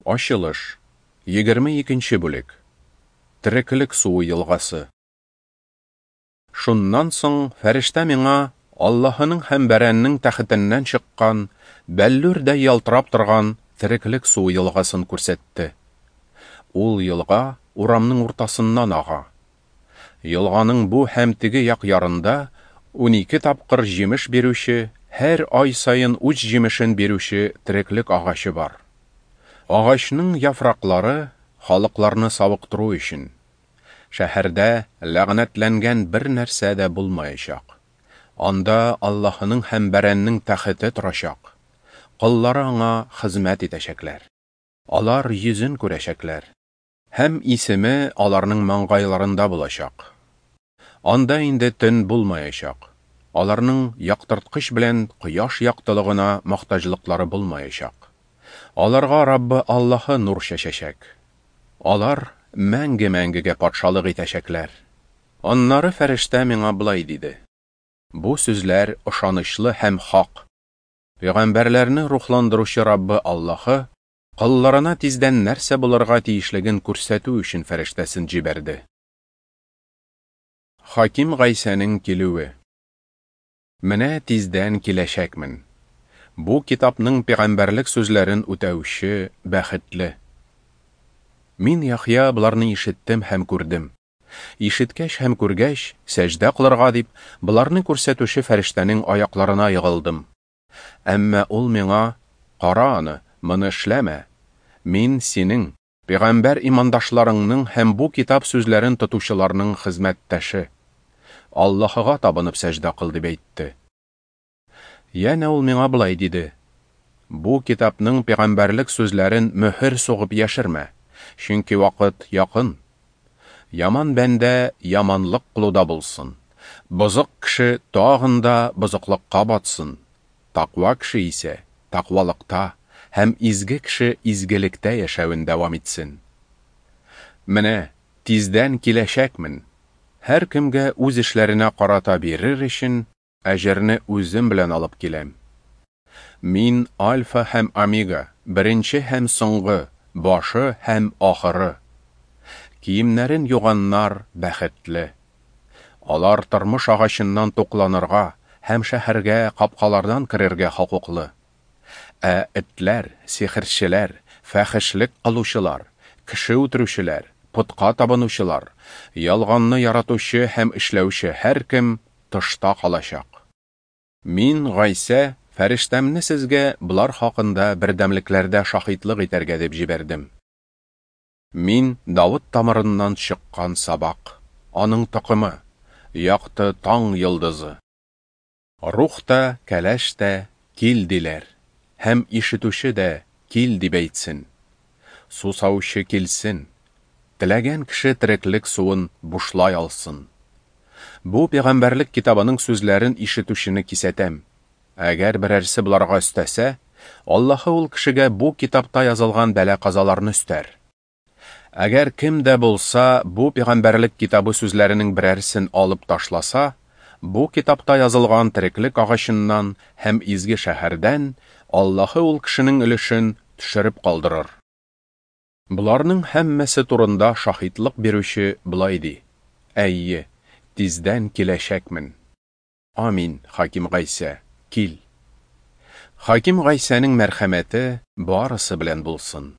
Ачылыш, 22 бүлек. Тереклек суы елгасы. Шуннан соң фәрештә миңа Аллаһының һәм Бәрәннең тәхетеннән чыккан, бәллүрдәй ялтырап торган тереклек суы елгасын күрсәтте. Ул елга урамның уртасыннан ага. Елганың бу һәм теге як ярында 12 тапкыр җимеш бирүче, һәр ай саен үз җимешен бирүче тереклек агачы бар. Агачның яфраклары халыкларны савыктыру өчен. Шәһәрдә ләгънәтләнгән бер нәрсә дә булмаячак. Анда Аллаһының һәм Бәрәннең тәхете торачак. Коллары аңа хезмәт итәчәкләр. Алар йөзен күрәчәкләр. Һәм исеме аларның маңгайларында булачак. Анда инде төн булмаячак. Аларның яктырткыч белән кояш яктылыгына мохтаҗлыклары булмаячак. Аларга Раббы Аллаһы нур чәчәчәк. Алар мәңге-мәңгегә патшалык итәчәкләр. Аннары фәрештә миңа болай диде: Бу сүзләр ышанычлы һәм хак. Пәйгамбәрләрне рухландыручы Раббы Аллаһы колларына тиздән нәрсә булырга тиешлеген күрсәтү өчен фәрештәсен җибәрде. Хаким Гайсәнең килүе. Менә тиздән киләчәкмен. Бу китапның пәйгамбәрлек сүзләрен үтәүче бәхетле. Мин, Яхъя, боларны ишеттем һәм күрдем. Ишеткәч һәм күргәч, сәҗдә кылырга дип, боларны күрсәтүче фәрештәнең аякларына егылдым. Әмма ул миңа: "Кара аны, моны эшләмә. Мин синең, пәйгамбәр имандашларыңның һәм бу китап сүзләрен тотучыларның хезмәттәше. Аллаһыга табынып сәҗдә кыл", дип әйтте. Янә ул миңа болай диде: Бу китапның пәйгамбәрлек сүзләрен мөһер сугып яшермә, чөнки вакыт якын. Яман бәндә яманлык кылуда булсын. Бозык кеше тагын да бозыклыкка батсын. Таква кеше исә таквалыкта һәм изге кеше изгелектә яшәвен дәвам итсен. Менә тиздән киләчәкмен. Һәркемгә үз эшләренә карата бирер өчен әҗерне үзем белән алып киләм. Мин Альфа һәм Омега, беренче һәм соңгы, башы һәм ахыры. Киемнәрен юганнар бәхетле. Алар тормыш агачыннан тукланырга һәм шәһәргә капкалардан керергә хокуклы. Ә этләр, сихерчеләр, фәхешлек кылучылар, кеше үтерүчеләр, путка табынучылар, ялганны яратучы һәм эшләүче һәркем тышта калачак. Мин, Гайсә, фәрештәмне сезгә болар хакында бердәмлекләрдә шаһитлык итәргә дип җибәрдем. Мин Давыт тамырыннан чыккан сабак, аның токымы, якты таң йолдызы. Рух та, кәләш тә кил диләр, һәм ишетүче дә кил дип әйтсен. Сусаучы килсен, теләгән кеше тереклек суын бушлай алсын. Бу пәйгамбәрлек китабының сүзләрен ишетүчене кисәтәм. Әгәр берәрсе боларга өстәсә, Аллаһы ул кешегә бу китапта язылган бәла-казаларны өстәр. Әгәр кем дә булса бу пәйгамбәрлек китабы сүзләренең берәрсен алып ташласа, бу китапта язылган тереклек агачыннан һәм изге шәһәрдән Аллаһы ул кешенең өлешен төшереп калдырыр. Боларның һәммәсе турында шаһитлык бирүче болай ди: Әйе, тиздән киләчәкмен. Амин, Хаким Гайсә, кил. Хаким Гайсәнең мәрхәмәте барысы белән булсын.